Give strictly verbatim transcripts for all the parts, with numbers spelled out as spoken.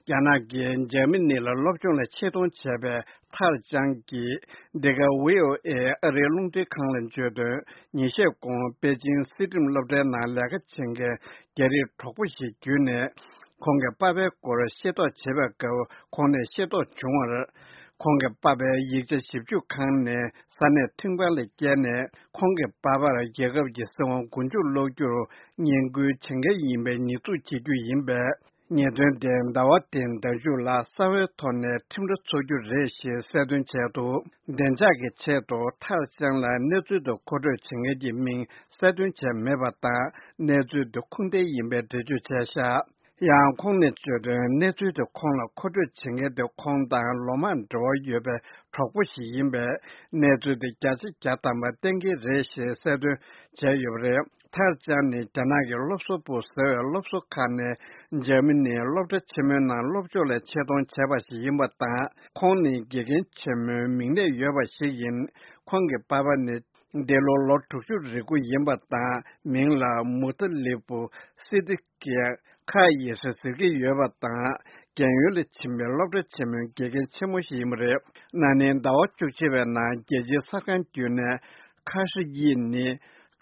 རྒྱ་ནག་གིས་འཇར་མ་ནི་ལ་སློབ་སྦྱོང་ལ་ཆེད་གཏོང་བྱས་པའི་ཐར་ཅང་གིས་འདི་ག་ཝི་ཨོ་ཨེ་ཨ་རིའི་རླུང་འཕྲིན་ཁང་ལ་བརྗོད་དོན། ཉིན་ཤས་གོང་པེ་ཅིང་སྲིད་ཁྲིམས་སློབ་གྲྭའི་ནང་ལས་ཀ་བྱེད་མཁན་རྒྱ་རིགས་གྲོགས་པོ་ཞིག་བརྒྱུད་ནས། ཁོང་གི་པ་ཕའི་སྐོར་ཤེས་རྟོགས་བྱེད་པའི་སྐབས། ཁོང་ནས་ཤེས་རྟོགས་བྱུང་བར། ཁོང་གི་པ་ཕའི་ཡིག་ཆ་ཞིབ་འཇུག་ཁང་ནས་ས་གནས་ཁྲིམས་ཁང་ལ་བསྐྱལ་ནས། ཁོང་གི་པ་ཕར་རྒྱལ་ཁབ་ཀྱི་སྲིད་དབང་མགོ་མཇུག་སློག་རྒྱུར་ངན་སྐུལ་བྱེད་མཁན་ཡིན་པའི་ཉེས་འཛུགས་བྱེད་རྒྱུ་ཡིན་པས། ཉེས་དོན་དེ་ཟླ་བ་འདིའི་ཟླ་མཇུག་ལ་གསང་བའི་ཐོག་ནས་ཁྲིམས་ར་འཚོགས་རྒྱུ་རེད་ཞེས་གསལ་སྟོན་བྱས་འདུག་བདེ་འཇགས་ཀྱི་ཆེད་དུ་ཐར་ཅང་ལ་གནས་ཚུལ་དེ་མཁོ་སྤྲོད་བྱེད་མཁན་གྱི་མིང་གསལ་སྟོན་བྱས་མེད་པ་དང་། གནས་ཚུལ་དེ་ཁུངས་ལྡན་ཡིན་པའི་འགྲེལ་བརྗོད་བྱས་བཞག་ཡང་ཁོང་ནས་བརྗོད་དོན། གནས་ཚུལ་དེ་ཁོང་ལ་མཁོ་སྤྲོད་བྱེད་མཁན་དེ་ཁོང་དང་ལོ་མང་འབྲེལ་བ་ཡོད་པའི་གྲོགས་པོ་ཞིག་ཡིན་པས། གནས་ཚུལ་དེ་བརྒྱ་ཆ་བརྒྱ་ཐམ་པ་གཏན་འཁེལ་རེད་ཞེས་གསལ་སྟོན་བྱས་ཡོད་པ་རེད། ཐར་ཅང་ནི་རྒྱ་ནག་གི་སློབ་གསོ་པུའུ་ཟེར་བའི་སློབ་གསོ་ཁང་ནས་འཇར་མ་ནིའི་སློབ་གྲྭ་ཆེན་མོའི་ནང་སློབ་སྦྱོང་ལ་ཆེད་གཏོང་བྱས་པ་ཞིག་ཡིན་པ་དང་། ཁོང་ནི་དགེ་རྒན་ཆེན་མོའི་མིང་གནས་ཡོད་པ་ཞིག་ཡིན། ཁོང་གི་པ་ཕ་ནི་འདི་ལོ་ལོ་དྲུག་ཅུ་རེ་དགུ་ཡིན་པ་དང་། མིང་ལ་མུ་ཏ་ལི་པུ་སི་ཏི་ཀི་ཁ་ཡི་ཧྲི་ཟེར་གྱི་ཡོད་པ་དང་། རྒན་ཡོལ་ལ་ཕྱིན་པའི་སློབ་གྲྭ་ཆེན་མོའི་དགེ་རྒན་ཆེན་མོ་ཞིག་ཡིན་པ་རེད། ན་ནིང་ཟླ་བ་བཅུ་གཅིག་པའི་ནང་རྒྱལ་སྤྱིའི་གསར་ཁང་བརྒྱུད་ནས་ཁ་ཧྲི་ཡི་ནི་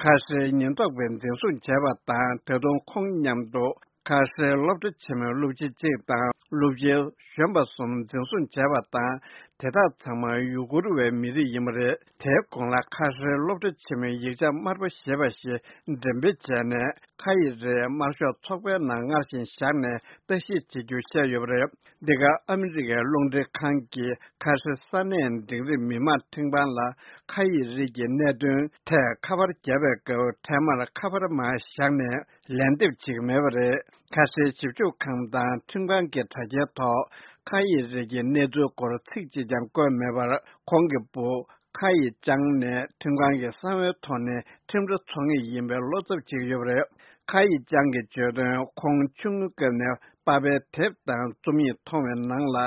ཁ་ཧྲིའི་ཉེན་རྟོག་པས་འཛིན་བཟུང་བྱས་པ་དང་། ད་དུང་ཁོང་མཉམ་དུ་ཁ་ཧྲིའི་སློབ་གྲྭ་ཆེན་མོའི་སློབ་སྤྱི་གཅིག་དང་སློབ་སྤྱི་གཞོན་པ་གསུམ་འཛིན་བཟུང་བྱས་པ་དང་། དེ་དག་ཚང་མ་ཡུ་གུར་བའི་མི་རིགས་ཡིན་པ་རེད། དེའི་གོང་ལ་ཁ་ཧྲེ་སློབ་གྲྭ་ཆེན་མོའི་ཡིག་ཆ་དམར་པོ་ཞེས་པ་ཞིག་འགྲེམས་སྤེལ་བྱས་ནས། ཁ་ཡི་རེ་དམར་ཤོག་ཚོགས་པའི་ནང་སྔར་བཞིན་བཞག་ནས་བརྟག་ཞིབ་བྱེད་རྒྱུ་བཤད་ཡོད་པ་རེད། འདི་ག་ཨ་མི་རི་ཀའི་རླུང་འཕྲིན་ཁང་གིས་ཁ་ཧྲེ་ས་གནས་འབྲིང་རིམ་མི་མང་ཁྲིམས་ཁང་ལ་ཁ་ཡི་རིགས་ཀྱི་གནད་དོན་ཐད་ཁ་པར་བརྒྱབ་པའི་སྐབས། འཕྲལ་མར་ཁ་པར་མར་བཞག་ནས་ལན་འདེབས་བྱེད་ཀྱི་མེད་པ་རེད། ཁ་ཧྲེ་ཞིབ་འཇུག་ཁང་དང་ཁྲིམས་ཁང་གི་དྲ་རྒྱའི་ཐོག་ཁ་ཡི་རིགས་ཀྱི་གནས་ཚུལ་སྐོར་ཚིག་གཅིག་ཀྱང་བཀོད་མེད་པར། ཁོང་གི་བུ་ཁ་ཡི་ཅང་ནས་ཁྲིམས་ཁང་གི་གསང་བའི་ཐོག་ནས་ཁྲིམས་ར་འཚོགས་ངེས་ཡིན་པའི་བློ་འཚབ་བྱེད་ཀྱི་ཡོད་པ་རེད། ཁ་ཡི་ཅང་གིས་བརྗོད་དོན། ཁོང་ཆུང་ངུའི་སྐབས་ནས་པ་ཕའི་དེབ་དང་རྩོམ་ཡིག་མཐོང་བའི་ནང་ལ།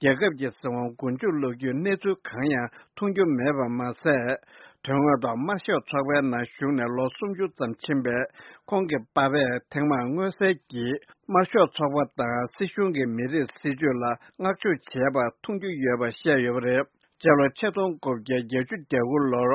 རྒྱལ་ཁབ་ཀྱི་སྲིད་དབང་མགོ་མཇུག་སློག་རྒྱུའི་གནས་ཚུལ་གང་ཡང་མཐོང་རྒྱུ་མེད་པ་མ་ཟད། དོན་དངོས་ཐོག་དམར་ཤོག་ཚོགས་པའི་ནང་ཞུགས་ནས་ལོ་སུམ་ཅུ་ཙམ་ཕྱིན་པས། ཁོང་གི་པ་ཕས་ཐེངས་མང་མངོན་གསལ་གྱིས། དམར་ཤོག་ཚོགས་པ་དང་སྲིད་གཞུང་གི་མི་རིགས་སྲིད་ཇུས་ལ་བསྔགས་བརྗོད་བྱས་པ་མཐོང་རྒྱུ་ཡོད་པ་བཤད་ཡོད་པ་རེད། སྤྱི་ལོ་ཆིག་སྟོང་དགུ་བརྒྱ་བརྒྱད་ཅུ་གྱ་དགུ་ལོར་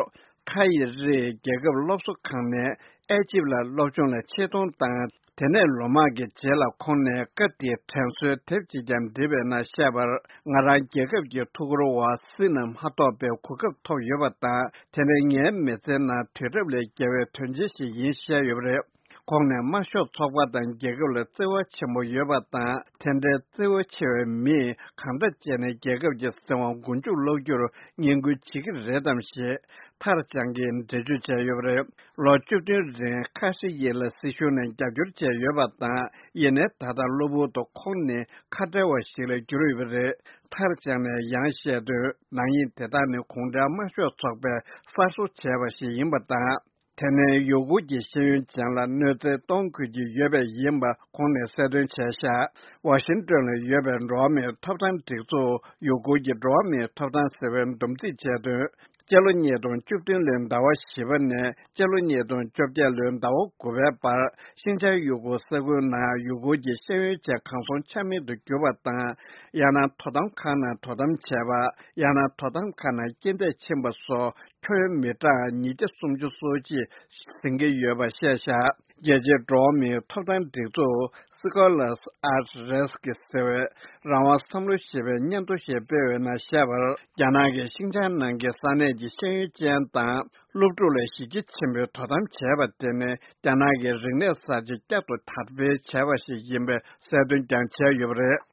ཁ་ཡི་རི་རྒྱལ་ཁབ་སློབ་གསོ་ཁང་ནས་ཨེ་ཇིབ་ལ་སློབ་སྦྱོང་ལ་ཆེད་གཏོང་དང་། དེ་ནས་ལོ་མང་གི་རྗེས་ལ་ཁོང་ནས་སྐབས་དེའི་དྲན་གསོའི་དེབ་ཅིག་ཀྱང་བྲིས་པའི་ནང་བཤད་པར། ང་རང་རྒྱལ་ཁབ་ཀྱི་ཐུགས་ཁུར་འོག་སྲིད་ནས་མ་ཐོབ་པའི་གོ་སྐབས་ཐོབ་ཡོད་པ་དང་། དེ་ནི་ངའི་མི་ཚེའི་ནང་དུས་རབས་ལས་བརྒལ་བའི་དོན་ཆེན་ཞིག་ཡིན་བཤད་ཡོད་པ་རེད། ཁོང་ནས་དམར་ཤོག་ཚོགས་པ་དང་རྒྱལ་ཁབ་ལ་བརྩེ་བ་ཆེན་པོ་ཡོད་པ་དང་། དེ་འདྲའི་བརྩེ་བ་ཆེ་བའི་མིས་གང་འདྲ་བྱས་ནས་རྒྱལ་ཁབ་ཀྱི་སྲིད་དབང་མགོ་མཇུག་སློག་རྒྱུར་ངན་སྐུལ་བྱེད་ཀྱི་རེད་དམ་ཞེས་ཐར་ཅང་གིས་འགྲེལ་བརྗོད་བྱས་ཡོད་པ་རེད། ལོ་བཅུ་བདུན་རིང་ཁ་ཧྲི་ཡི་ལ་སྲིད་གཞུང་ནས་རྒྱབ་སྐྱོར་བྱས་ཡོད་པ་དང་། ཡིན་ནའི་ད་ལྟ་གློ་བུར་དུ་ཁོང་ནི་ཁ་བྲལ་བ་ཞིག་ལ་གྱུར་ཡོད་པ་རེད། ཐར་ཅང་ནས་ཡང་བཤད་དོན། ནག་ཉེས་དེ་དག་ནི་གུང་ཁྲན་དམར་ཤོག་ཚོགས་པས་གསར་བཟོ་བྱས་པ་ཞིག་ཡིན་པ་དང་། དེ་ནས་ཡུ་གུར་གྱི་ཤེས་ཡོན་ཅན་ལ་གནོད་འཚེ་གཏོང་དགོས་ཀྱི་ཡོད་པས་ཡིན་པ་ཁོང་ནས་གསལ་སྟོན་བྱས་ཤག་ཝ་ཤིང་ཏོན་ལ་ཡོད་པའི་འགྲོ་བ་མིའི་ཐོབ་ཐང་སྒྲིག་འཛུགས། ཡུ་གུར་གྱི་འགྲོ་བ་མིའི་ཐོབ་ཐང་ཟེར་བས་འདུམ་འགྲིག་བྱས་དོན། སྤྱི་ལོ་ཉིས་སྟོང་བཅུ་བདུན་ལོའི་ཟླ་བ་བཞི་པ་ནས་སྤྱི་ལོ་ཉིས་སྟོང་བཅོ་བརྒྱད་ལོའི་ཟླ་བ་དགུ་པའི་བར། ཤིན་ཅང་ཡུ་གུར་ས་ཁུལ་ནང་ཡུ་གུར་གྱི་ཤེས་ཡོན་ཅན་གང་སོང་ཆ་མེད་དུ་གྱུར་པ་དང་། ཡང་ན་དོ་དམ་ཁང་ནང་དོ་དམ་བྱས་པ། ཡང་ན་དོ་དམ་ཁང་ནང་རྐྱེན་འདས་ཕྱིན་པ་སོགས་ཁྱོན་མི་གྲངས་ཉིས་བརྒྱ་སུམ་ཅུ་སོ་གཅིག་ཟིན་གྱི་ཡོད་པ་བཤད་བཞག་རྒྱལ་སྤྱིའི་འགྲོ་བ་མིའི་ཐོབ་ཐང་སྒྲིག་འཛུགས་Scholars at Risk ཟེར་བས་རང་དབང་བསམ་བློ་ཞེས་པའི་སྙན་ཐོ་ཞིག་སྤེལ་བའི་ནང་བཤད་པར། རྒྱ་ནག་གིས་ཤིན་ཅང་ནང་གི་ས་གནས་ཀྱི་ཤེས་ཡོན་ཅན་དང་སློབ་ཕྲུག་ལ་གཞི་རྒྱ་ཆེན་པོས་དོ་དམ་བྱས་པ་དེ་ནི་རྒྱ་ནག་གི་རིག་གནས་གསར་བརྗེ་བསྐྱར་དུ་དར་སྤེལ་བྱས་པ་ཞིག་ཡིན་པའི་གསལ་སྟོན་ཀྱང་བྱས་ཡོད་པ་རེད།